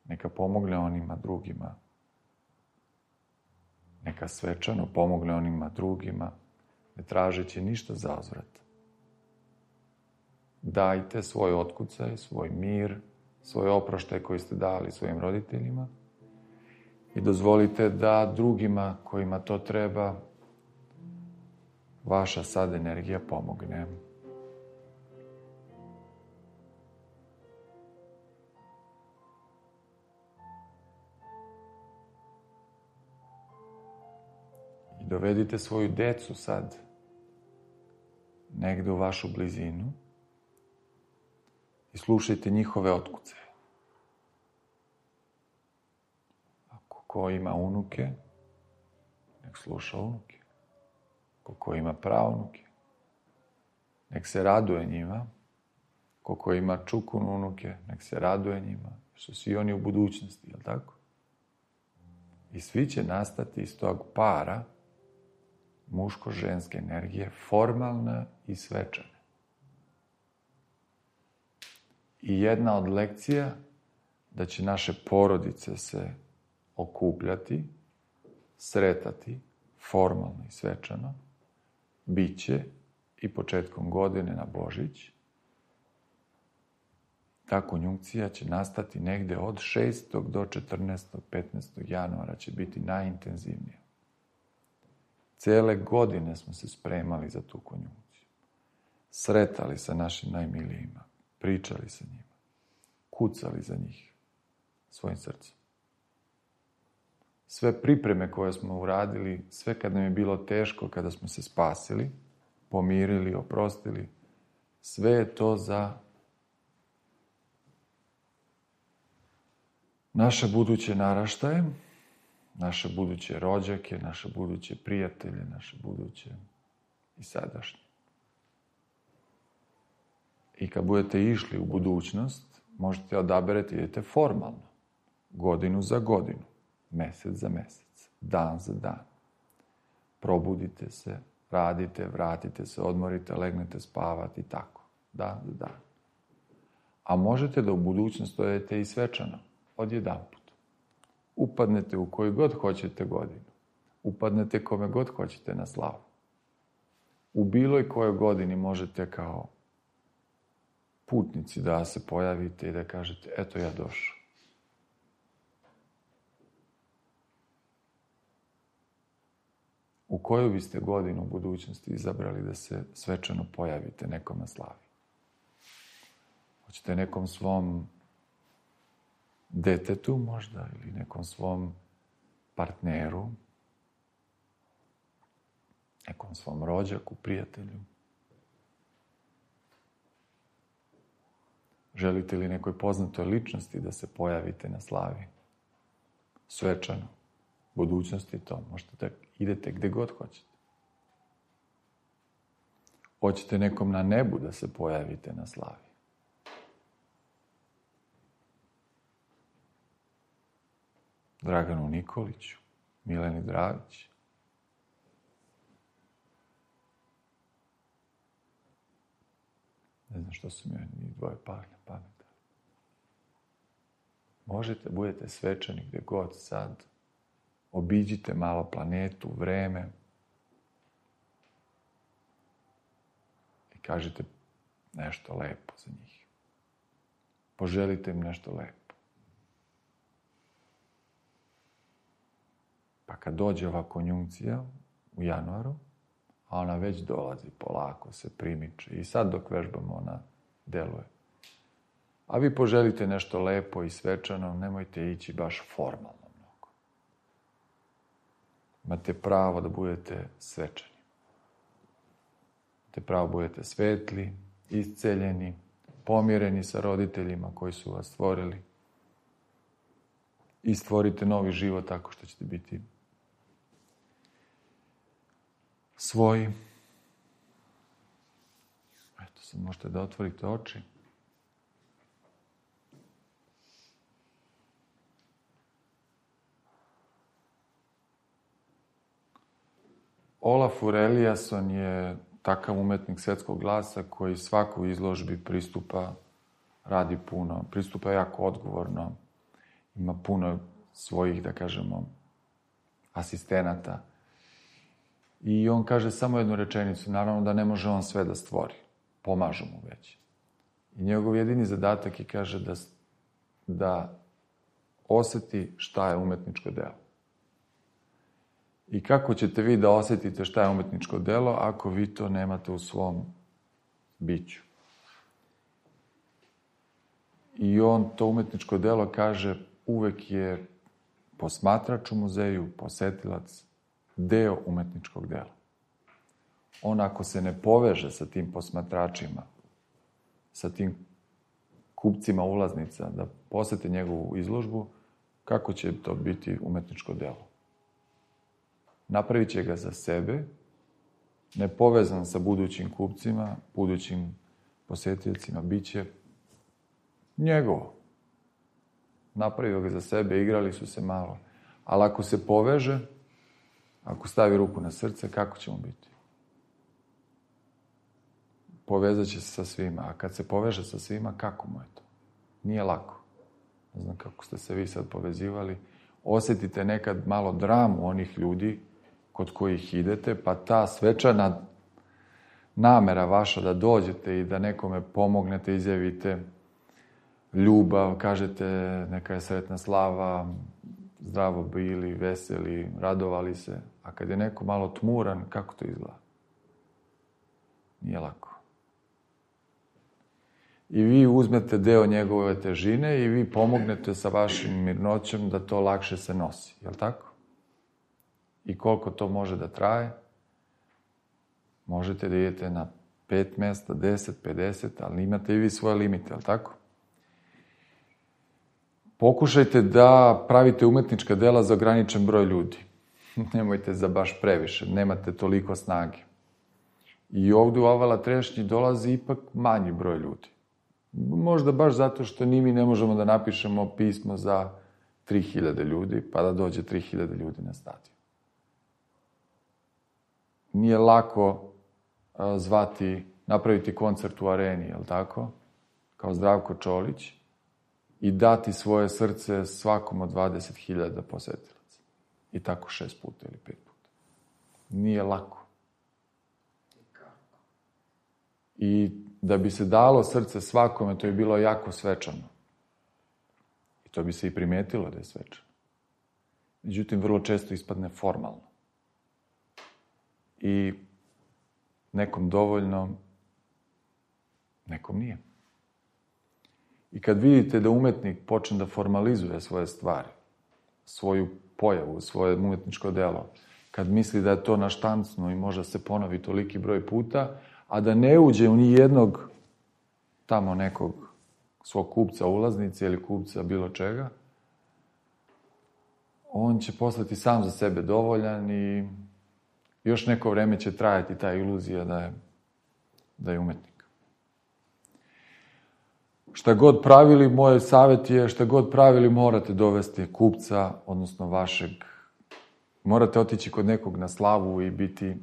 neka pomogne onima drugima, neka svečano pomogne onima drugima, ne tražeći ništa za uzvrat. Dajte svoj otkucaj, svoj mir, svoj oproštaj koji ste dali svojim roditeljima i dozvolite da drugima kojima to treba vaša sad energija pomogne. I dovedite svoju decu sad negde u vašu blizinu i slušajte njihove otkucaje. Ako ko ima unuke, nek sluša unuke. Ko ko ima praunuke, nek se raduje njima. Ko ko ima čukun unuke, nek se raduje njima. Što svi oni u budućnosti, je li tako? I svi će nastati iz tog para muško-ženske energije, formalne i svečane. I jedna od lekcija da će naše porodice se okupljati, sretati, formalno i svečano, bit će i početkom godine na Božić. Ta konjunkcija će nastati negde od šestog do četrnaestog, petnaestog januara će biti najintenzivnija. Cele godine smo se spremali za tu konjunkciju. Sretali sa našim najmilijima, pričali sa njima, kucali za njih svojim srcem. Sve pripreme koje smo uradili, sve kad nam je bilo teško, kada smo se spasili, pomirili, oprostili. Sve je to za naše buduće naraštaje, naše buduće rođake, naše buduće prijatelje, naše buduće i sadašnje. I kad budete išli u budućnost, možete odaberati, idete formalno, godinu za godinu, mesec za mesec, dan za dan. Probudite se, radite, vratite se, odmorite, legnete spavati i tako, dan za dan. A možete da u budućnost odete i svečano, odjedanput. Upadnete u koju god hoćete godinu. Upadnete kome god hoćete na slavu. U bilo kojoj godini možete kao putnici da se pojavite i da kažete, eto ja došao. U koju biste godinu u budućnosti izabrali da se svečano pojavite nekom na slavi? Hoćete nekom svom detetu možda ili nekom svom partneru, nekom svom rođaku, prijatelju? Želite li nekoj poznatoj ličnosti da se pojavite na slavi? Svečano. Budućnosti to. Možete da idete gde god hoćete. Hoćete nekom na nebu da se pojavite na slavi? Draganu Nikoliću, Mileni Dragić. Ne znam što su mi njih dvoje pali na pamet. Možete, budete svečani gde god sad. Obiđite malo planetu, vreme. I kažite nešto lepo za njih. Poželite im nešto lepo. Pa kad dođe ova konjunkcija u januaru, a ona već dolazi polako, se primiče. I sad dok vežbamo, ona deluje. A vi poželite nešto lepo i svečano, nemojte ići baš formalno mnogo. Imate pravo da budete svečani. Imate pravo da budete svetli, isceljeni, pomireni sa roditeljima koji su vas stvorili. I stvorite novi život tako što ćete biti svoji. Eto, sad možete da otvorite oči. Olafur Eliasson je takav umetnik svetskog glasa koji svaku izložbi pristupa, radi puno, pristupa jako odgovorno, ima puno svojih, da kažemo, asistenata. I on kaže samo jednu rečenicu, naravno da ne može on sve da stvori, pomažu mu već. I njegov jedini zadatak je, kaže, da, da oseti šta je umetničko delo. I kako ćete vi da osetite šta je umetničko delo ako vi to nemate u svom biću? I on to umetničko delo, kaže, uvek je posmatrač u muzeju, posetilac, deo umetničkog dela. On ako se ne poveže sa tim posmatračima, sa tim kupcima ulaznica, da posete njegovu izložbu, kako će to biti umetničko delo? Napravit će ga za sebe, nepovezan sa budućim kupcima, budućim posetiocima, bit će njegovo. Napravio ga za sebe, igrali su se malo. Ali ako se poveže, ako stavi ruku na srce, kako će mu biti? Povezat će se sa svima. A kad se poveže sa svima, kako mu je to? Nije lako. Ne znam kako ste se vi sad povezivali. Osjetite nekad malo dramu onih ljudi kod kojih idete, pa ta svečana namera vaša da dođete i da nekome pomognete, izjavite ljubav, kažete neka je sretna slava, zdravo bili, veseli, radovali se. A kad je neko malo tmuran, kako to izgleda? Nije lako. I vi uzmete deo njegove težine i vi pomognete sa vašim mirnoćem da to lakše se nosi. Je li tako? I koliko to može da traje? Možete da idete na pet mesta, deset, pedeset, ali imate i vi svoje limite, ali tako? Pokušajte da pravite umetnička dela za ograničen broj ljudi. Nemojte za baš previše, nemate toliko snage. I ovde u Avala Trešnji dolazi ipak manji broj ljudi. Možda baš zato što ni mi ne možemo da napišemo pismo za tri hiljade ljudi, pa da dođe tri hiljade ljudi na stadion. Nije lako a, zvati, napraviti koncert u areni, je li tako? Kao Zdravko Čolić i dati svoje srce svakom od dvadeset hiljada posetilaca. I tako šest puta ili pet puta. Nije lako. I da bi se dalo srce svakome, to je bilo jako svečano. I to bi se i primetilo da je svečano. Međutim, vrlo često ispadne formalno. I nekom dovoljno, nekom nije. I kad vidite da umetnik počne da formalizuje svoje stvari, svoju pojavu, svoje umetničko delo, kad misli da je to naštancno i može se ponovi toliki broj puta, a da ne uđe u nijednog tamo nekog svog kupca ulaznice ili kupca bilo čega, on će postati sam za sebe dovoljan i još neko vreme će trajati ta iluzija da je, da je umetnik. Šta god pravili, moj savjet je, šta god pravili, morate dovesti kupca, odnosno vašeg, morate otići kod nekog na slavu i biti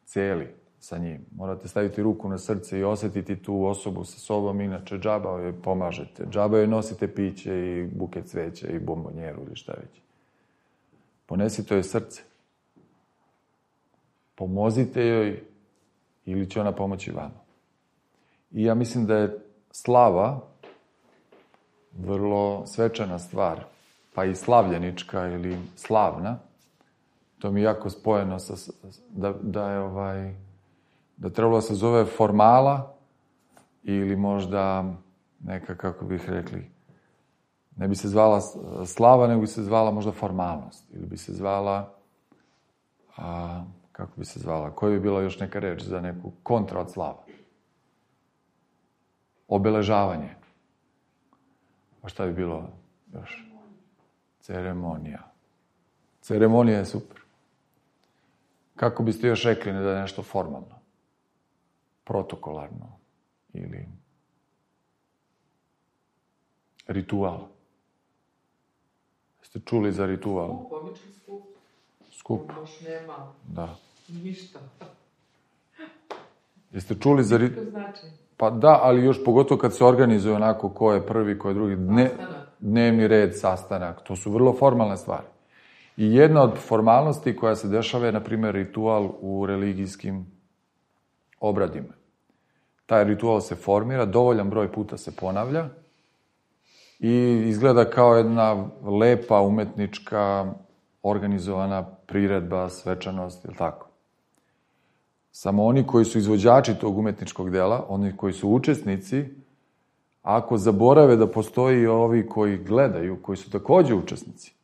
celi sa njim. Morate staviti ruku na srce i osetiti tu osobu sa sobom, inače džaba joj pomažete. Džaba joj nosite piće i buket cveća i bombonjeru ili šta već. Ponesite joj srce. Pomozite joj ili će ona pomoći vama. I ja mislim da je slava vrlo svečana stvar, pa i slavljenička ili slavna. To mi je jako spojeno sa, da, da je ovaj, da trebalo se zove formala ili možda neka, kako bih rekli, ne bi se zvala slava, nego bi se zvala možda formalnost. Ili bi se zvala, a, kako bi se zvala, koja bi bila još neka reč za neku kontra od slava? Obeležavanje. A šta bi bilo još? Ceremonija. Ceremonija je super. Kako biste još rekli da je nešto formalno? Protokolarno. Ili ritual. Ste čuli za ritual? Skup, običan skup. Skup. Baš nema Da. ništa. Jeste čuli za ritual? To znači? Pa da, ali još pogotovo kad se organizuje onako ko je prvi, ko je drugi. Dne, dnevni red, sastanak. To su vrlo formalne stvari. I jedna od formalnosti koja se dešava je, na primjer, ritual u religijskim obradima. Taj ritual se formira, dovoljan broj puta se ponavlja i izgleda kao jedna lepa, umetnička, organizovana priredba, svečanost, ili tako. Samo oni koji su izvođači tog umetničkog dela, oni koji su učesnici, ako zaborave da postoji i ovi koji gledaju, koji su takođe učesnici,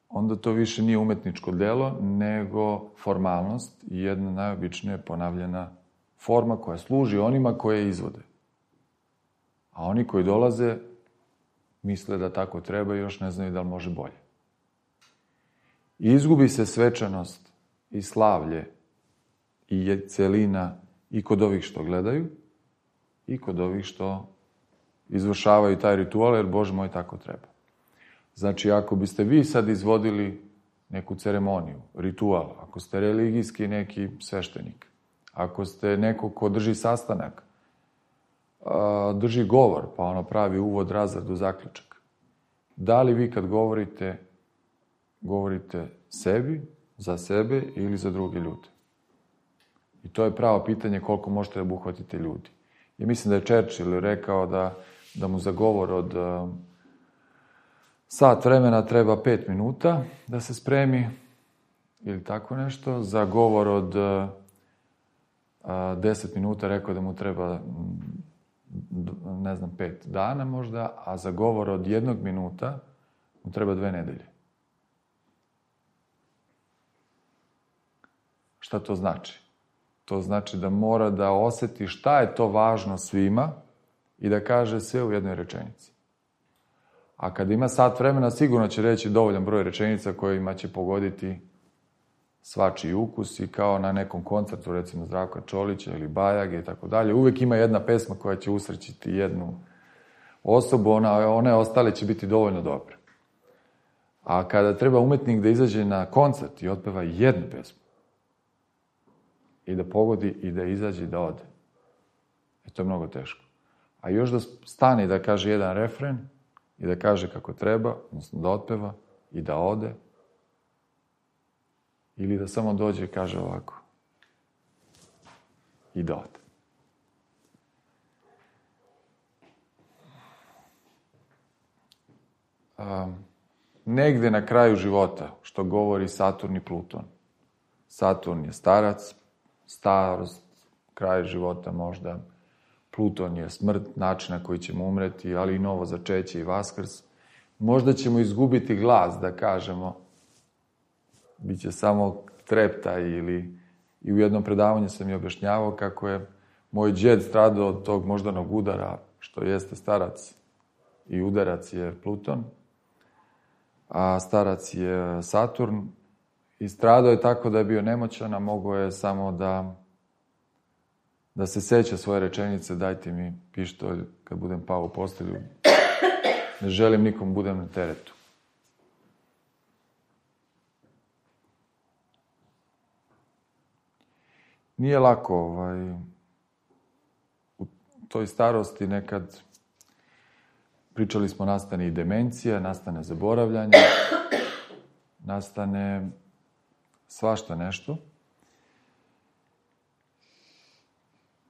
onda to više nije umetničko delo, nego formalnost i jedna najobičnija ponavljena forma koja služi onima koje izvode. A oni koji dolaze misle da tako treba i još ne znaju da li može bolje. I izgubi se svečanost i slavlje i celina i kod ovih što gledaju i kod ovih što izvršavaju taj ritual, jer Bože moj tako treba. Znači, ako biste vi sad izvodili neku ceremoniju, ritual, ako ste religijski neki sveštenik, ako ste neko ko drži sastanak, drži govor, pa ono pravi uvod, razradu, zaključak, da li vi kad govorite, govorite sebi, za sebe ili za druge ljude? I to je pravo pitanje koliko možete da obuhvatite ljudi. I mislim da je Churchill rekao da, da mu za govor od uh, sat vremena treba pet minuta da se spremi, ili tako nešto. Za govor od uh, deset minuta rekao da mu treba, ne znam, pet dana možda, a za govor od jednog minuta mu treba dve nedelje. Šta to znači? To znači da mora da oseti šta je to važno svima i da kaže sve u jednoj rečenici. A kad ima sat vremena, sigurno će reći dovoljan broj rečenica kojima će pogoditi svačiji ukus i kao na nekom koncertu, recimo Zdravka Čolića ili Bajage i tako dalje. Uvijek ima jedna pesma koja će usrećiti jednu osobu, ona, one ostale će biti dovoljno dobre. A kada treba umetnik da izađe na koncert i otpeva jednu pesmu i da pogodi i da izađe i da ode, e, to je mnogo teško. A još da stane i da kaže jedan refren i da kaže kako treba, odnosno da otpeva i da ode, ili da samo dođe i kaže ovako i da ode. Um, negde na kraju života, što govori Saturn i Pluton. Saturn je starac, starost, kraj života možda. Pluton je smrt, način na koji ćemo umreti, ali i novo začeće i vaskrs. Možda ćemo izgubiti glas da kažemo, biće samo treptaj ili... I u jednom predavanju sam mi objašnjavao kako je moj džed stradao od tog moždanog udara, što jeste starac i udarac je Pluton, a starac je Saturn. I stradao je tako da je bio nemoćan, a mogao je samo da, da se seća svoje rečenice, dajte mi pištolj kad budem pao u postelju, ne želim nikom budem na teretu. Nije lako, ovaj, u toj starosti nekad pričali smo, nastane i demencija, nastane zaboravljanje, nastane svašta nešto.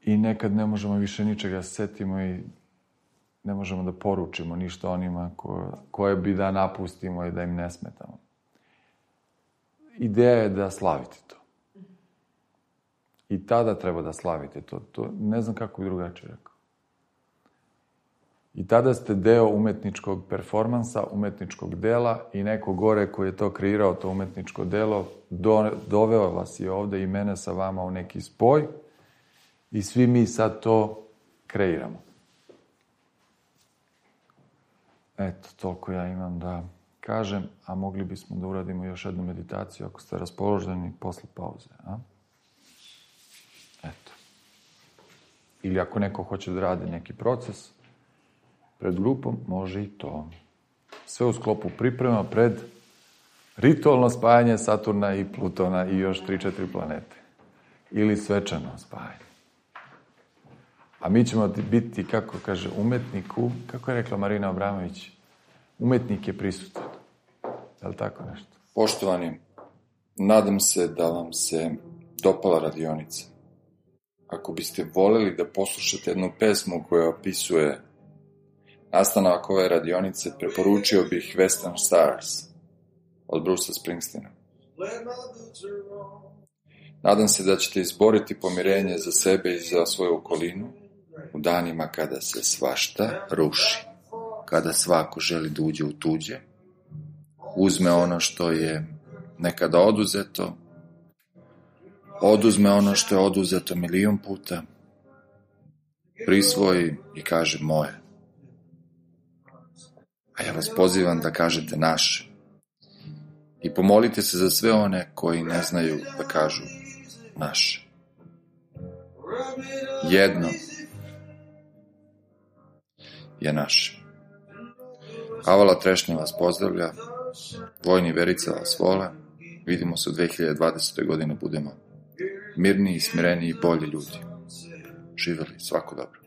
I nekad ne možemo više ničega setimo i ne možemo da poručimo ništa onima koje, koje bi da napustimo i da im ne smetamo. Ideja je da slavite to. I tada treba da slavite to. to ne znam kako bi drugačije rekao. I tada ste deo umetničkog performansa, umetničkog dela i neko gore koji je to kreirao, to umetničko delo, do, doveo vas je ovde i mene sa vama u neki spoj i svi mi sad to kreiramo. Eto, toliko ja imam da kažem, a mogli bismo da uradimo još jednu meditaciju ako ste raspoloženi posle pauze. A? Eto. Ili ako neko hoće da radi neki proces pred grupom, može i to. Sve u sklopu priprema pred ritualno spajanje Saturna i Plutona i još tri četiri planete. Ili svečano spajanje. A mi ćemo biti, kako kaže, umetniku, kako je rekla Marina Abramović, umetnik je prisutan. Je li tako nešto? Poštovani, nadam se da vam se dopala radionica. Ako biste voleli da poslušate jednu pesmu koja opisuje nastanak ove radionice, preporučio bih Western Stars od Brucea Springsteena. Nadam se da ćete izboriti pomirenje za sebe i za svoju okolinu u danima kada se svašta ruši, kada svako želi da uđe u tuđe, uzme ono što je nekada oduzeto, oduzme ono što je oduzeto milion puta, prisvoji i kaže moje. A ja vas pozivam da kažete naše. I pomolite se za sve one koji ne znaju da kažu naše. Jedno je naše. Avala Trešnja vas pozdravlja, Vojni Verica vas vole, vidimo se u dve hiljade dvadesete. godine, budemo mirniji, smireniji i bolji ljudi. Živeli, svako dobro.